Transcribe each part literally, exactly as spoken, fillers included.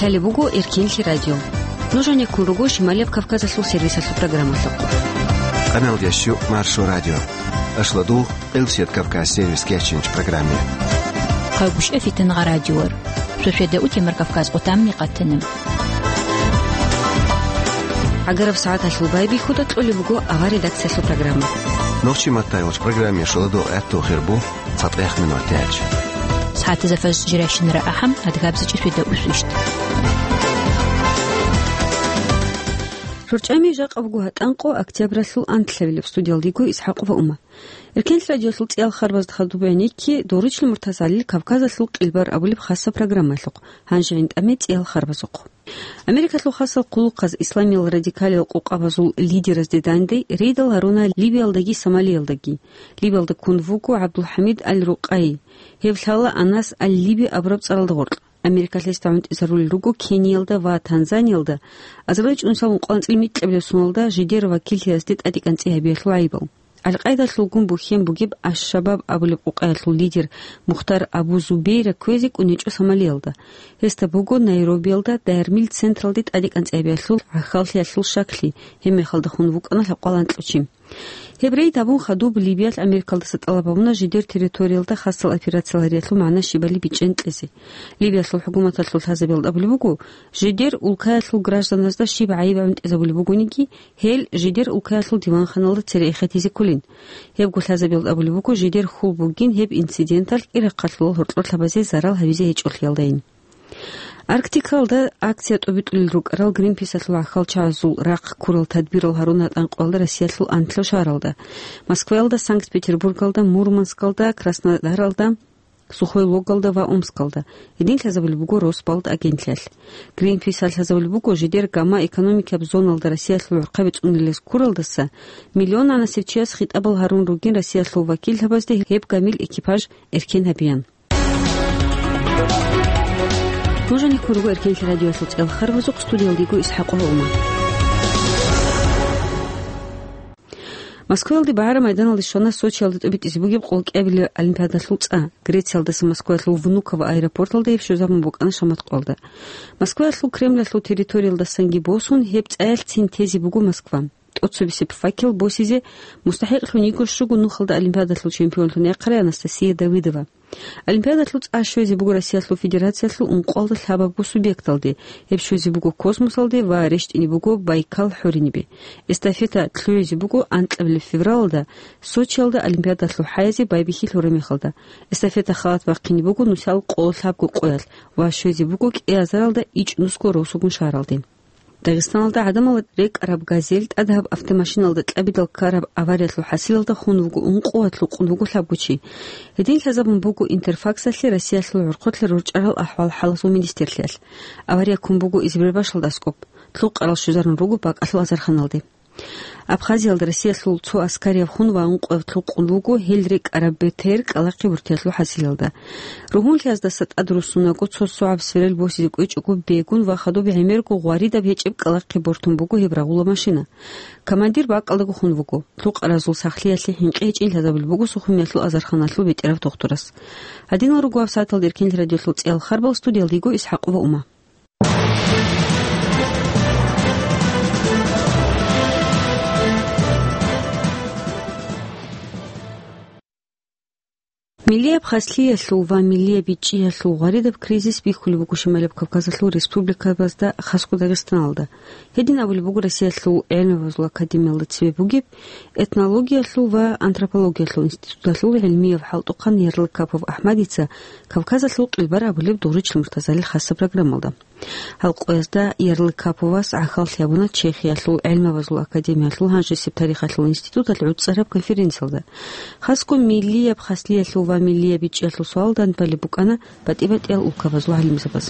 Гьале буго Эркенлъи радио. Нуж гьанеккун руго Шималияб Кавказалъул сервисалъул программалъухъ. Къаналдящу Маршо радио. Ашладу Элсет Кавказ сервис кечинч программе. Хъагушев Фитнагъа радиор. Шошеда утемар Кавказ къутамни къатанем. Агараб сагӀаталъул байбихьуда кьолеб буго авар редакциялъул программа. Нохчи маттайолч программе шоладо гӀатту хирбу. ЦатӀех минут тяч. СагӀатазда фаз жирайщинара ахӀам, адгабзичӀи свида усвищт. РорчӀами жакъа буго гьатӀанкъо октябралъул анлъабилеб, студиялдиго Исхакъова Ума. Эркенлъ радиолъул цӀиял харбазда хадуб гӀенекки, Доручил Муртазалил Кавказалъул къилбар абулеб хасаб программалъухъ, гьанже гӀинтӀаме цӀиял харбазухъ. Америкалъул хасал хъулухъаз исламиял радикалиял къокъабазул лидеразде данде рейдал гьаруна Либиялдаги Сомалиялдаги. Либиялда ккун вуго ГӀабдулхӀамид аль-Рукъай. Гьев лъала Анас аль-Либи абураб цӀаралда гъоркь. Америкалъ гьесда гӀунтӀизарулел руго Кениялда ва Танзаниялда азарилчӀунсал ункъоялда анцӀила микьабилеб соналда жидер вакиллъиялъе тӀадекӀанцӀи гьабиялъул гӀайибал. Аль-Къайдалъулгун бухьен бугеб Аш-Шабаб абулеб къокъаялъул лидер Мухтар Абу Зубейра кквезе кӀунечӀо Сомалиялда. Гьесда буго Найробиялда даяр-мил централде тӀадекӀанцӀи гьабиялъул гӀахьаллъиялъул щаклъи, гьеб мехалда хун вукӀана лъабкъоялда анкьучи. Гьеб рейд гьабун хадуб Либиялъ Америкалдаса тӀалаб гьабуна жидер территориялда хасал операциялъул гьариялъул магӀна щибали бичӀчӀен кьезе. Либиялъул хӀукуматалъул лъазабиялда абулеб буго, жидер улкаялъул гражданазда щиб гӀайиб гӀунтӀизабулеб бугониги, гьел жидер улкаялъул диванханалда цере эхетизе кколин. Гьебго лъазабиялда абулеб буго, жидер хьул бугин гьеб инциденталъ Ирахъалъулал гьоркьор лъабазе зарал гьабизе гьечӀолъиялдайин. Арктикалда акция тӀобитӀулел рукӀарал Гринписалъул гӀахьалчагӀазул рахъ ккурал тадбирал гьарун гьатӀанкъоялда Россиялъул анлъаб шагьаралда: Москваялда, Санкт-Петербургалда, Мурманскалда, Краснодаралда, Сухой Логалда ва Омскалда. Гьедин лъазабулеб буго Росбалт агентлъиялъ. Гринписалъ лъазабулеб буго, жидер гамма экономикияб зоналда Россиялъул гӀурхъаби цӀунулес ккуралдаса миллионанасеб чияс хитӀабал гьарун ругин Россиялъул вакиллъабазде гьеб гамил экипаж эркен гьабиян. Нуж гьанеккун руго Эркенлъи радиоялъул цӀиял харбазухъ, студиялдиго Исхакъова Ума. Москваялде багӀараб майданалде щвана Сочиялда тӀобитӀизе бугеб къолкӀабилеб олимпиадалъул цӀа. Грециялдаса Москваялъул Внуково аэропорталда гьеб щвезабун букӀана шаматкъоялда. Москваялъул Кремлалъул территориялдасанги босун, гьеб цӀаялъцин тезе буго Москва. ТӀоцебесеб факел босизе мустахӀикълъун йиго щуго нухалда олимпиадалъул чемпионлъун яхъарай Анастасия Давыдова. Олимпиадалъул цӀа щвезе буго Россиялъул Федерациялъул ункъоялда лъабабго субъекталде, гьеб щвезе буго космосалде ва рещтӀине буго Байкал хӀоринибе. Эстафета лъугӀизе буго анкьабилеб февралалда Сочиялда Олимпиадалъул хӀаязе байбихьи лъураб мехалда. Эстафета халат бахъине буго нусал къоло лъабго къоялъ ва щвезе буго кӀиазаралда ичӀнусго росугун шагьаралде. Дагъистаналда гӀадамал рекӀараб «Газель» тӀадаб автомашиналда кьабидал ккараб авариялъул хӀасилалда хун вуго ункъо ва лъукъун вуго лъабго чи. Гьедин лъазабун буго Интерфаксалъе Россиялъул гӀурхъулъа рорчӀарал ахӀвал-хӀалалъул министрлъиялъ. Авария ккун буго Избербашалда аскӀоб, лъукъарал щвезарун руго бакӀалъул азарханалде. Абхазиялда Россиялъул цо аскарияб хун ва ункъо ва лъукъун вуго гьел рекӀараб БТР кӀкӀалахъе бортиялъул хӀасилалда. Ругьунлъиялдаса тӀадруссунаго цо согӀаб сверел босизе кӀвечӀого бегун ва хадуб гӀемерго гъваридаб гьечӀеб кӀкӀалахъе бортун буго гьеб рагъула машина. Командир бакӀалдаго хун вуго. Лъукъаразул сахлъиялъе хӀинкъи гьечӀин лъазабулеб буго Сухумиялъул азарханалъул бетӀерав тухтурас. Гьадинал руго гьаб сагӀаталда Эркенлъи радиолъул цӀиял харбал, студиялдиго Исхакъова Ума. Миллияб хаслъиялъул ва миллияб бичӀчӀиялъул гъваридаб кризис бихьулеб буго Шималаб Кавказалъул республикабазда, хасго Дагъистаналда. Гьедин абулеб буго Россиялъул гӀелмабазул академиялда цебе бугеб этнологиялъул ва антропологиялъул институталъул гӀилмияб хӀалтӀухъан Ярлыкапов АхӀмадица Кавказалъул къилбар абулеб Доручил Муртазалил хасаб программалда. Гьал къоязда Ярлыкаповас гӀахьаллъи гьабуна Чехиялъул гӀелмабазул академиялъул гьанжесеб тарихалъул институталъ гӀуцӀараб конференциялда. Хасго миллияб хаслъиялъул ва миллияб бичӀчӀиялъул суал данбалеб букӀана батӀи-батӀиял улкабазул гӀалимзабаз.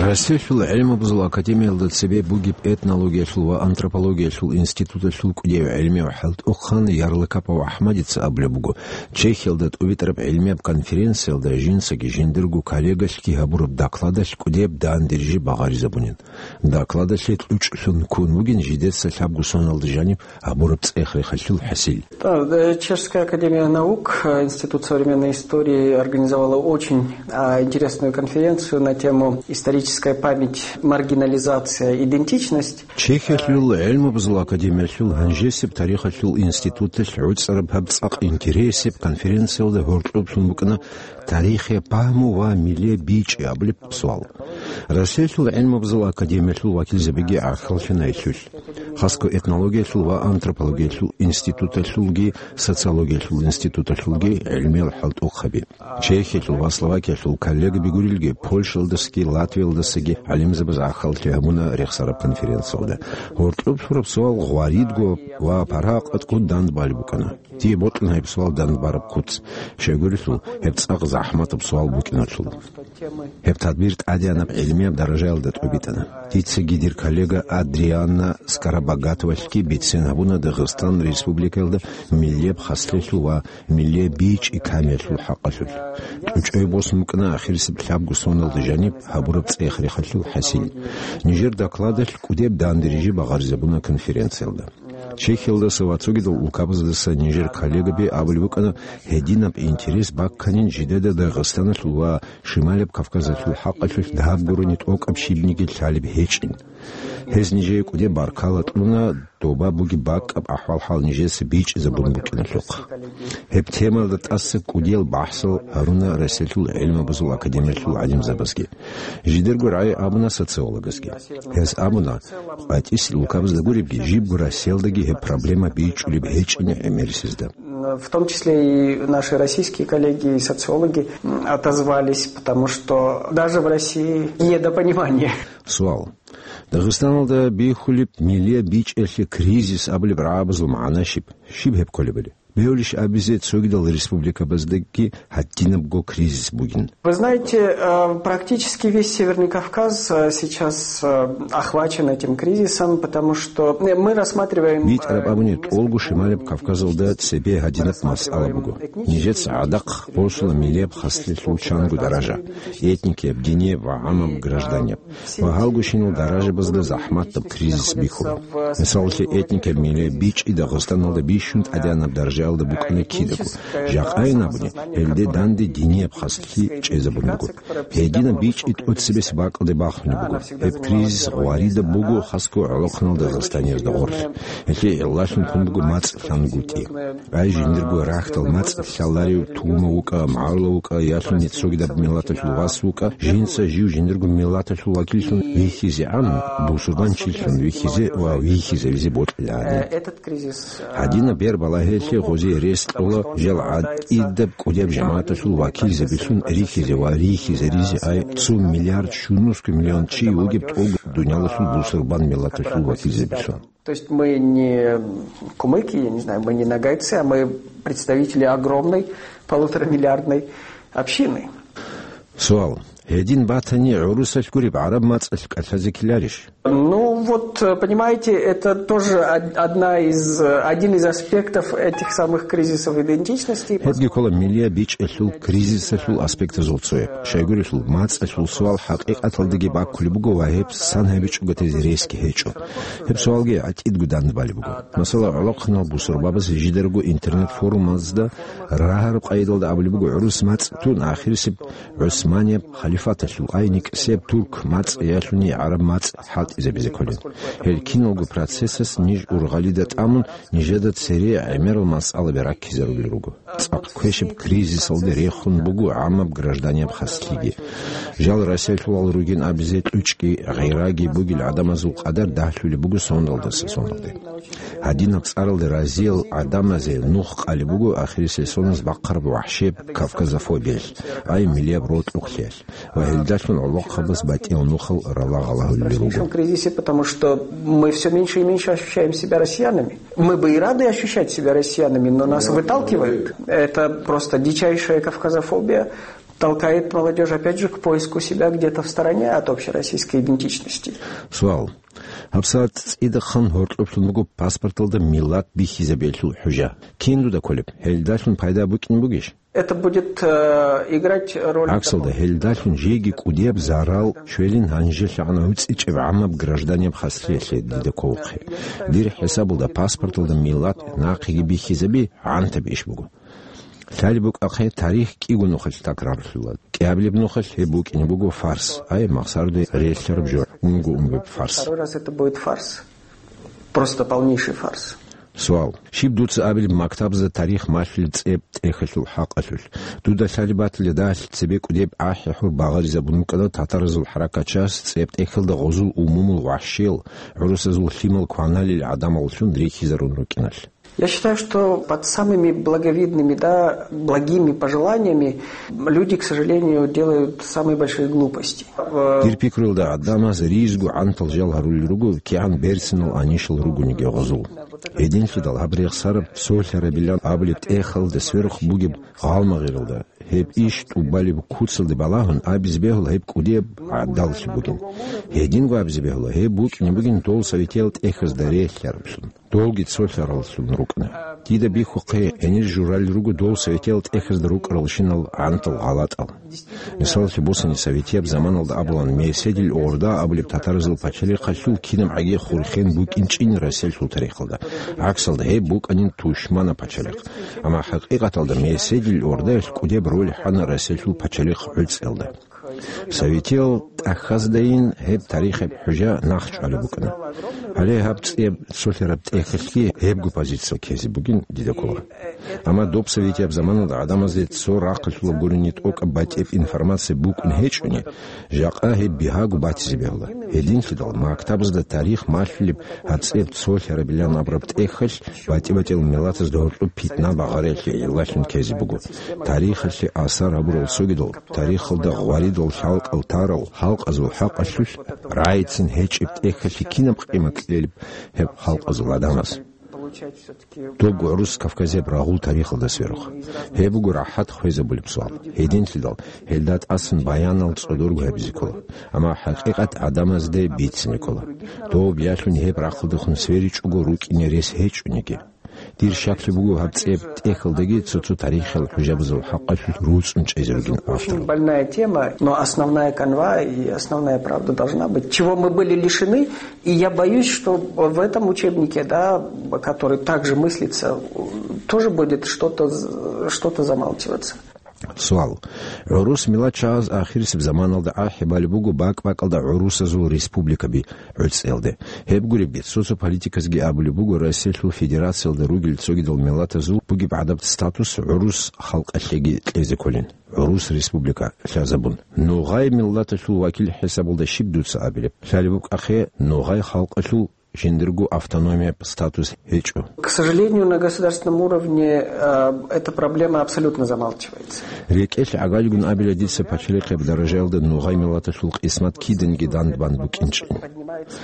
Россиялъул гӀилмабазул академиялда цебе бугеб этнологиялъул ва антропологиялъул институталъул кӀудияв гӀелмияв ХӀалтӀухъан Ярлыкапов АхӀмадица абулеб буго, Чехиялда тӀубитӀараб гӀилмияб конференциялда жинцаги жиндирго коллегалъги гьабураб докладалъ кӀудияб дандерижи багъаризабунин. Докладалъе кьучӀлъун ккун бугин жидеца лъабго соналда жаниб гьабураб цӀех-рехалъул хӀасил. Да, э, Чешская академия наук, э, Институт современной истории организовала очень, а, интересную конференцию на тему «Историческая память, маргинализация, идентичность». Чехиялъул гӀилмабазул академиялъул гьанжесеб тарихалъул институталъ гӀуцӀараб гьаб цӀакъ интересеб конференциялда гьоркьоблъун букӀана «Тарихе пагьму ва миле бичӀи» абулеб суал. Россиялъул гӀилмабазул академиялъул вакилзабиги гӀахьаллъана гьелъулъ. Хасго этнологиялъул ва антропологиялъул институталъулги, социологиялъул институталъулги гӀилмиял хӀалтӀухъаби. Чехиялъул ва Словакиялъул коллегаби гурилги, Польшаялдасаги Латвиялдасаги гӀалимзабаз гӀахьаллъи гьабуна рехсараб конференциялда. Гьоркьоб лъураб суал гъваридго ва паргьа-къатго дандбалеб букӀана. Дие бокьана гьеб суал дандбараб куц, щайгурелъул гьеб цӀакъ захӀматаб суал букӀиналъул. Гьеб тадбир тӀадегӀанаб гӀилмияб даражаялда тӀубитӀана. Дицаги дир коллега Адриана Скоробогатовалъги бицен гьабуна Дагъистан Республикаялда миллияб хаслъиялъул ва миллияб бичӀи камиялъул хӀакъалъулъ. ТӀучӀай босун букӀана ахирисеб лъабго соналда жаниб гьабураб цӀех-рехалъул хӀасил. Нижер докладалъ кӀудеб дандерижи багъаризабуна конференциялда. Чехиялдаса ва цогидал улкабаздаса нижер коллегаби абулеб букӀана, гьединаб интерес бакканин жидеда Дагъистаналъул ва Шималаб Кавказалъул хӀакъалъулъ дагьаб гурони тӀокӀаб щибниги лъалеб гьечӀин. Гьез нижее кӀудеб баркала кьуна, доба бугеб бакӀаб ахӀвал-хӀал нижеца бичӀчӀизабун букӀиналъухъ. Гьеб темаялда тӀаса кӀудиял бахӀсал гьаруна Россиялъул гӀилмабазул академиялъул гӀалимзабазги. Жидерго рагӀи абуна социологазги. Гьез абуна, къватӀисел улкабазда гуребги, жибго Россиялдаги гьеб проблема бичӀчӀулеб гьечӀин гӀемерисезда. В том числе и наши российские коллеги и социологи, м, отозвались, потому что даже в России недопонимание. Суал. Дагъистаналда бихьулеб миллияб бичӀчӀиялъе кризис абулеб рагӀабазул магӀна щиб? Щиб гьеб кколебали? Бегьулищ абизе, цогидал республикабаздаги гьадинабго кризис бугин? Вы знаете, э, практически весь Северный Кавказ, э, сейчас, э, охвачен этим кризисом, потому что, э, мы рассматриваем, э, БитӀараб абуни, тӀолго Шималаб Кавказалда цебе гьадинаб масъала буго. Нижеца гӀадахъ босула миллияб хаслъиялъул чанго даража: этникияб, динияб ва гӀаммаб гражданияб. Ва гьалгощинал даражабазда захӀматаб кризис бихьула. Мисалалъе, этникияб миллияб бичӀчӀи Дагъистаналда бищун тӀадегӀанаб даражаялда букӀана кидаго. Жакъайин абуни, гьелде данде динияб хаслъи чӀезабун буго. Гьединаб бичӀчӀи тӀоцебесеб бакӀалде бахунеб буго. Гьеб кризис гъваридаб буго хасго гӀолохъанал дагъистаниязда гъорлъ. Гьелъие гӀиллалъун ккун буго мацӀ лъангутӀи. Ай жиндирго рахьдал мацӀ лъаларев тугьмав вукӀа, мугӀарулав вукӀа, ялъуни цогидаб миллаталъул вас вукӀа, жинца жив жиндирго миллаталъул вакиллъун вихьизегӀан, бусурбанчилъун вихьизе ва вихьизавизе бокьилаани. Гьадинаб бер балагьеялъе гъозие рес кьола жал гӀатӀидаб кӀудияб жамагӀаталъул вакилзабилъун рихьизе ва рихьизаризе ай цо миллиард щунусго миллион чи вугеб тӀолго дуниялалъул бусурбан миллаталъул вакилзабилъун. То есть мы не кумыки, я не знаю, мы не ногайцы, а мы представители огромной полуторамиллиардной общины. Суал. Гьедин батани, гӀурусалъ гуреб гӀараб мацӀалъ кӀалъазе ккеларищ? Ну вот, э, понимаете, это тоже од-, одна из, э, один из аспектов этих самых кризисов идентичности. Гьебги ккола миллияб бичӀчӀиялъул кризисалъул аспектазул цояб. Щайгурелъул, мацӀалъул суал хӀакъикъаталдаги баккулеб буго ва гьеб сан гьабичӀого тезе ресги гьечӀо. Гьеб суалги гӀатӀидго дандбалеб буго. Масала, гӀолохъанал бусурбабаз жидерго интернет-форумазда рагьараб къайдалда абулеб буго, гӀурус мацӀ тун ахирисеб ГӀусманияб халифаталъул ай никӀсияб турк мацӀ ялъуни гӀараб мацӀ хӀалтӀизабизе кколин. Гьел киналго процессас ниж ургъалида тӀамун, нижеда цере гӀемерал масъалаби раккизарулел руго. ЦӀакъ квешаб кризисалде рехун буго гӀаммаб гражданияб хаслъиги. Жал Россиялъулал ругин абизе кьучӀги гъираги бугел гӀадамазул къадар дагьлъулеб буго соналдаса соналде. Гьадинаб цӀаралде разиял гӀадамазе нух къалеб буго ахирисеб соназ бахъараб вахӀшияб кавказофобиялъ, ай миллияб рокьукълъиялъ ва гьелдалъун гӀолохъабаз батӀиял нухал ралагъалагьулел руго. Кризисе, потому что мы всё меньше и меньше ощущаем себя россиянами. Мы бы и рады ощущать себя россиянами, но нас выталкивают. Это просто дичайшая кавказофобия. Толкает молодёжь, опять же, к поиску себя где-то в стороне от общероссийской идентичности. Суал. ГьабсагӀат цӀидахъан гьоркьоблъун буго паспорталда миллат бихьизабиялъул хӀужа. Кин дуда кколеб, гьелдалъун пайда букӀин бугищ? Это будет, э, играть роль. ГӀаксалда, гьелдалъун жеги кӀудияб зарал щвелин гьанжелъагӀан гӀуцӀичӀеб гӀамаб гражданияб хасиялъе дида кколухъе. Дир хӀисабалда паспорталда миллат нахъеги бихьизаби гӀантаб иш буго. Лъалеб букӀахъе, тарих кӀиго нухалъ такрарлъула. КӀиабилеб нухалъ гьеб букӀине буго фарс, ай, махсарде релълъараб жо, унго-унгояб фарс. Второй раз это будет фарс. Просто полнейший фарс. Суал. Щиб дуца абилеб мактабазда тарих малъулеб цӀеб тӀехьалъул хӀакъалъулъ? Дуда лъалеб батила, дагьалъ цебе кӀудеб гӀахӀи-гьур багъаризабун букӀана татаразул хӀаракатчияс цӀеб тӀехьалда гъозул умумул вахӀшиял, гӀурусазул лъимал кваналел гӀадамаллъун рихьизарун рукӀиналъ. Я считаю, что под самыми благовидными, да, благими пожеланиями люди, к сожалению, делают самые большие глупости. Дир пикруялда, гӀадамаз ризго гӀантал жал гьарулел руго, кигӀан берцинал анищал ругониги гъозул. Гьединлъидал гьаб рехсараб, цолъарабилан абулеб тӀехьалда сверухъ бугеб гъалмагъиралда, гьеб иш тӀубалеб куцалде балагьун абизе бегьула гьеб кӀудияб гӀадаллъи бугин. Гьединго абизе бегьула гьеб букӀине бугин дол советиял тӀехьазда релълъараблъун. Долги цолъараллъун рукӀана. Дида бихьухъе, гьенир журалел руго дол советиял тӀехьазда рукӀаралщинал гӀантал гъалатӀал. Мисалалъе босани, советияб заманалда абулан, Меседил Орда абулеб татаразул пачалихъалъул кинаб гӀаги хурхен букӀинчӀин Россиялъул тарихалда. ГӀаксалда, гьеб букӀанин тушманаб пачалихъ. Амма хӀакъикъаталда Меседил Ордаялъ кӀудеб роль хӀана Россиялъул пачалихъ гӀуцӀиялда. Советиял тӀахьаздайин гьеб тарихияб хӀужа нахъчӀвалеб букӀана. Гьале гьаб цӀеб цолъараб тӀехьалъги гьебго позиция ккезе бугин дида ккола. Амма доб советияб заманалда гӀадамазде цо рахъалъулаб гурони тӀокӀаб батӀияб информация букӀун гьечӀони, жакъа гьеб бигьаго батизе бегьула. Гьединлъидал мактабазда тарих малъулеб гьаб цӀеб цолъарабилан абураб тӀехьалъ батӀи-батӀиял миллатазда гьоркьоб питна багъариялъе гӀиллалъун ккезе буго. Тарихалъе асар гьабурал цогидал, тарихалда гъваридал лъалкӀал тарал халкъазул хӀакъалъулъ рагӀицин гьечӀеб тӀехьалъе кинаб къимат кьелеб гьеб халкъазул гӀадамаз? Доб гӀурус Кавказияб рагъул тарихалда сверухъ. Гьеб буго рахӀат хвезабулеб суал. Гьединлъидал гьелда тӀасан баянал цӀодорго гьабизе ккола, амма хӀакъикъат гӀадамазде бицине ккола. Доб ялъуни гьеб рахъалдехун сверичӀого рукӀине рес гьечӀониги. Дир щаклъи буго гьаб цӀеб тӀехьалдаги цо-цо тарихиял хӀужабазул хӀакъалъулъ руцӀцӀун чӀезе ругин автор. Очень больная тема, но основная канва и основная правда должна быть. Чего мы были лишены, и я боюсь, что в этом учебнике, да, который также мыслится, тоже будет что-то з-, что-то замалчиваться. Суал. ГӀурус миллатчагӀаз ахирисеб заманалда гӀахӀи балеб буго бакӀ-бакӀалда гӀурусазул республикаби гӀуцӀиялде. Гьеб гуребги, цо-цо политиказги абулеб буго, Россиялъул Федерациялда ругел цогидал миллатазул бугеб гӀадаб статус гӀурус халкъалъеги кьезе кколин, гӀурус республика лъазабун. Ногъай миллаталъул вакил хӀисабалда щиб дуца абилеб? Лъалеб букӀахъе, ногъай халкъалъул жиндирго автономияб статус гьечӀо. К сожалению, на государственном уровне, э, эта проблема абсолютно замалчивается. РекӀелъ гӀагалигун абила дица пачалихъеб даражаялда ногъай миллаталъул къисмат киданиги дандбан букӀинчӀин.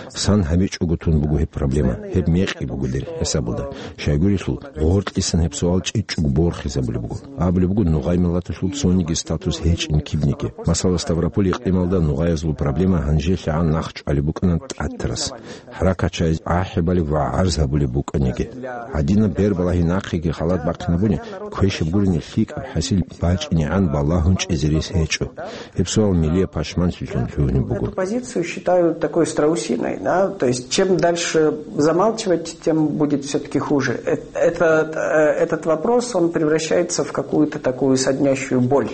Сан гьабичӀого тун буго гьеб проблема, гьеб мекъи буго дир хӀисабалда. Щайгурелъул, гъоркьисан гьеб суал чӀечӀого борхизабулеб буго. Абулеб буго, ногъай миллаталъул цониги статус гьечӀин кибниги. Масала, Ставрополь икълималда ногъаязул проблема гьанжелъагӀан нахъчӀвалеб букӀана тӀатарас. ХӀаракатчагӀаз гӀахӀи балеб ва гӀарз гьабулеб букӀаниги. Гьадинаб бербалагьи нахъеги халат бахъинабуни, квешаб гурони лъикӀаб хӀасил бачӀинегӀан балагьун чӀезе рес гьечӀо. Гьеб суал милияб пашманлъилъун лъугьунеб буго. Эту позицию считаю такой страусиной, да, то есть чем дальше замалчивать, тем будет всё-таки хуже. Э-, этот, э, этот вопрос, он превращается в какую-то такую соднящую боль.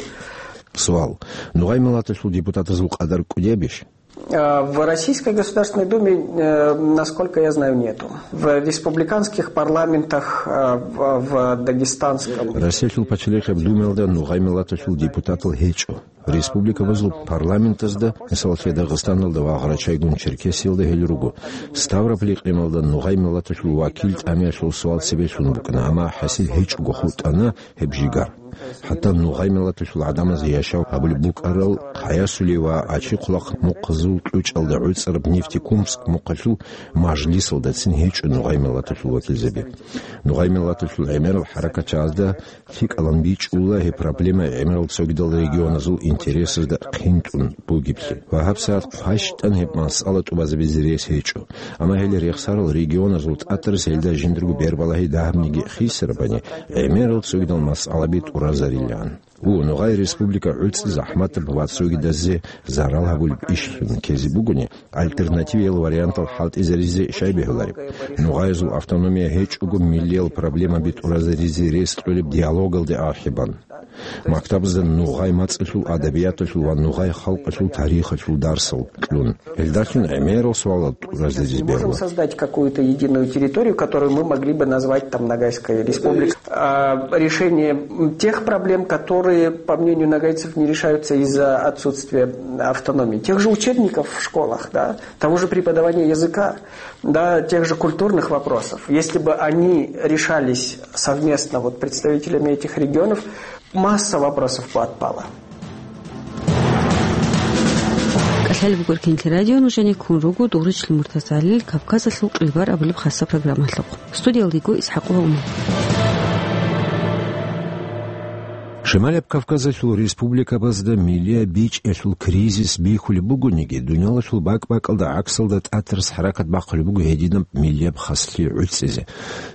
Суал. Нугъай миллаталъул депутатазул къадар кӀудиябищ? А, в Российской Государственной Думе, э, насколько я знаю, нету. В республиканских парламентах, э, в, в Дагестанском. Россиялъул пачалихъаб Думаялда нугъай миллаталъул депутатал гьечӀо. Республикабазул парламентазда, мисалалъе, Дагъистаналда ва Гъарачайгун-Черкесиялда гьел руго. Ставрополь икълималда нугъай миллаталъул вакил тӀамиялъул суал цебе лъун букӀана, амма хӀасил гьечӀого хутӀана гьеб жигар. ХӀатта нугъай миллаталъул гӀадамазе яшав гьабулеб букӀарал Хъаясули ва Ачи-Хъулахъ мухъазул кьучӀалда гӀуцӀараб Нефтекумск мухъалъул мажлисалдацин гьечӀо нугъай миллаталъул вакилзаби. Нугъай миллаталъул гӀемерал хӀаракатчагӀазда лъикӀалан бичӀчӀула гьеб проблема гӀемерал цогидал регионазул интересазда хъинтӀун бугеблъи. Ва гьабсагӀат хъващтӀан гьеб масъала тӀубазабизе рес гьечӀо. Амма гьел рехсарал регионазул тӀатарас гьелда жиндаго бербалагьи дагьабниги хисарабани, гӀемерал цогидал масъалаби тӀуразарилан. У, нугъай республика гӀуцӀи захӀматаб ва цогидазе зарал гьабулеб ишлъун ккезе бугони, альтернативиял вариантал хӀалтӀизаризе щай бегьулареб? Нугъаязул автономия гьечӀого, миллиял проблемаби тӀуразаризе рес кьолеб диалогалде ахӀи бан. Мактабазда нугъай мацӀалъул, адабияталъул ва нугъай халкъалъул тарихалъул дарсал кьун. Гьелдалъун гӀемерал суалал тӀуразаризе бегьула. Создать какую-то единую территорию, которую мы могли бы назвать там Ногайская республика. А, решение, м, тех проблем, которые, по мнению ногайцев, не решаются из-за отсутствия автономии. Тех же учебников в школах, да, того же преподавания языка, да, тех же культурных вопросов. Если бы они решались совместно вот представителями этих регионов, масса вопросов бы отпала. КӀалъалеб буго Эркенлъи радио, нужеде ккун руго Дугъричлъи МуртазагӀалил Кавказалъул къилбар абулеб хасаб программалъухъ. Студиялда йиго ИсхӀакъова Умар. Шималаб Кавказалъул республикабазда миллияб бичӀчӀиялъул кризис бихьулеб бугониги, дуниялалъул бакӀ-бакӀалда гӀаксалда тӀатарас хӀаракат бахъулеб буго гьединаб миллияб хаслъи гӀуцӀизе.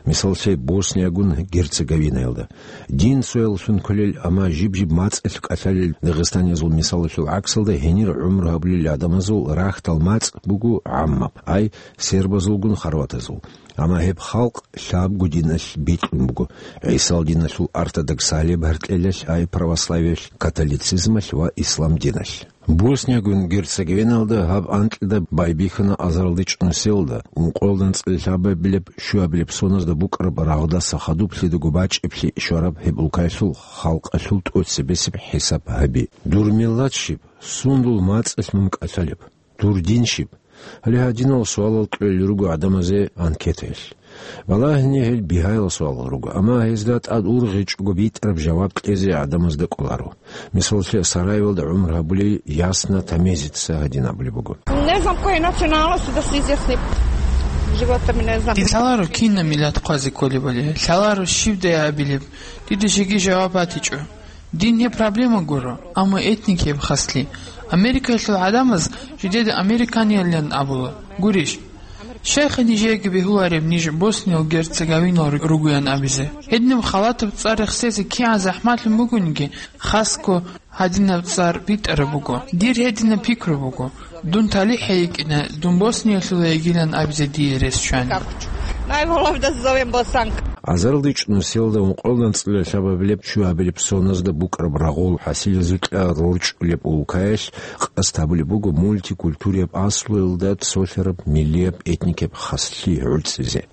Мисаллъе, Босниягун Герцеговинаялда. Дин цоялъун кколел, амма жиб-жиб мацӀалъ кӀалъалел дагъистаниязул мисалалъул гӀаксалда гьенир гӀумру гьабулел гӀадамазул рахьдал мацӀ буго гӀаммаб, ай, сербазулгун хорватазул. Амма гьеб халкъ лъабго диналъ бикьун буго, ГӀисал диналъул ортодоксалияб гьаркьелалъ, ай, православиялъ, католицизмалъ ва ислам диналъ. Босниягун Герцеговиналда гьаб анкьида байбихьана азаралда чӀунусиялда, ункъоялда анцӀила лъабабилеб щуабилеб соназда букӀараб рагъдаса хадуплъидаго бачӀиблъи щвараб гьеб улкаялъул халкъалъул тӀоцебесеб хӀисаб гьаби. Дур миллат щиб? Сундул мацӀалъ мун кӀалъалеб? Дур дин щиб? Гьале гьадинал суалал кьолел руго гӀадамазе анкетаялъ. Балагьине гьел бигьаял суалал руго, амма гьезда тӀад ургъичӀого битӀараб жаваб кьезе гӀадамазда кӀоларо. Мисаллъе, Сараевалда гӀумру гьабулей Ясна Тамезица гьадин абулеб буго. Не знам коей националности, да се изъясним. Живота ми не знам. Дир лъаларо кинаб миллат хъвазе кколебали, лъаларо щибдай абилеб, дида жеги жаваб батичӀо. Дин гьеб проблема гуро, амма этник гьеб хаслъи. Америкаялъул гӀадамаз жидеда американиялилан абула. Гурищ? Щайха нижееги бегьулареб ниж Босния-Герцеговинал ругоян абизе? Гьединаб халатаб цӀар рехсезе кигӀан захӀмалъун бугониги, хасго гьадинаб цӀар битӀараб буго. Дир гьединаб пикру буго. Дун талихӀ гьайикӀина, дун Босниялъула йигилан абизе дие рес чвани. Najbolje da se zovem Bosanka. Азаралда чӀунусиялда ункъоялда анцӀила лъабабилеб щуабилеб соназда букӀараб рагъул хӀасилазукьа рорчӀулеб улкаялъ къасд гьабулеб буго мультикультурияб аслуялда цолъараб миллияб этникаб хаслъи гӀуцӀизе.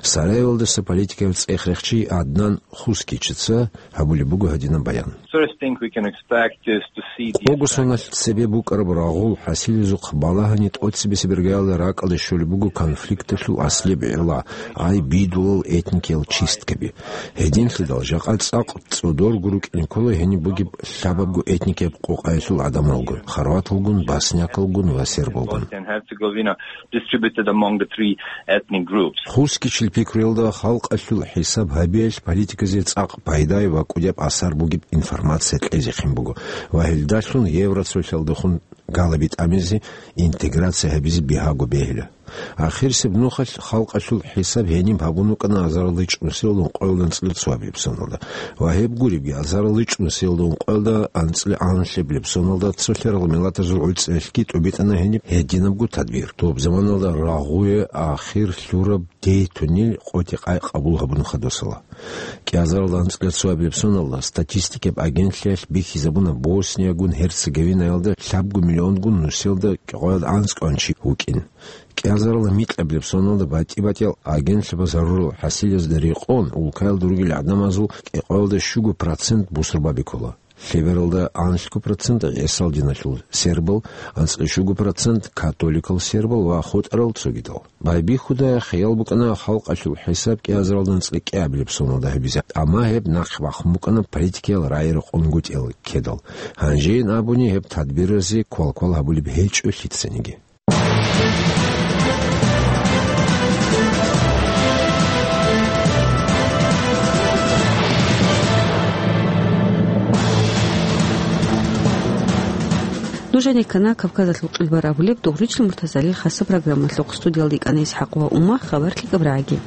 Сараевалдаса политикаялъ цӀехрехчи Аднан Хускичица гьабулеб буго гьадинаб баян. First thing we can expect is to see the Къого соналъ цебе букӀараб рагъул хӀасилазухъ балагьани тӀоцебесеб иргаялда ракӀалде щолеб буго конфликталъул аслияб гӀилла, ай, бидулал этникиял чисткаби. Гьединлъидал жакъа цӀакъ цӀодорго рукӀине ккола гьениб бугеб лъабабго этникияб къокъаялъул гӀадамалгун: хорваталгун, боснякалгун ва сербалгун. Bosnia and Herzegovina distributed among the three ethnic groups. Хускичил пикруялда халкъалъул хӀисаб гьабиялъ политиказе цӀакъ пайдаяб ва кӀудияб асар бугеб информация кьезехъин буго ва гьелдалъун Евроцолъалдехун галаби тӀамизе, интеграция гьабизе бигьаго бегьила. Ахирисеб нухалъ халкъалъул хӀисаб гьениб гьабун вукӀана азаралда чӀунусиялда ункъоялда анцӀила цоабилеб соналда. Ва гьеб гуребги, азаралда чӀунусиялда ункъоялда анцӀила анлъабилеб соналда цолъарал миллатазул гӀуцӀиялъги тӀубитӀана гьениб гьединабго тадбир. Доб заманалда рагъуе ахир лъураб дейтунил къотӀи-къай къабул гьабун хадусала. КӀиазаралда анцӀила цоабилеб соналда статистикаб агентлъиялъ бихьизабуна Босниягун Герцеговинаялда лъабго миллионгун нусиялда кӀикъоялда анцӀкӀван чи вукӀин. КӀиазаралда микьабилеб соналда батӀи-батӀиял агентлъабаз гьарурал хӀасилазда рекъон улкаялда ругел гӀадамазул кӀикъоялда щуго процент бусурбаби ккола. Лъебералда анлъго процент гӀисал диналъул сербал, анцӀкъи щуго процент католикал сербал ва хутӀарал цогидал. Байбихьуда хиял букӀана халкъалъул хӀисаб кӀиазаралда анцӀкъи кӀиабилеб соналда гьабизе, амма гьеб нахъ бахъун букӀана политикиял рагӀи рекъон гутӀиялда ккедал. Гьанжейин абуни, гьеб тадбиразе квалквал гьабулеб гьечӀо лъицаниги. Нужеде ккана Кавказалъул къилбар абулеб Дугъричил Муртазалил хасаб программалъухъ. Студиялда йикӀана ИсхӀакъ ва Ума. Хабар лъикӀаб рагӀаги.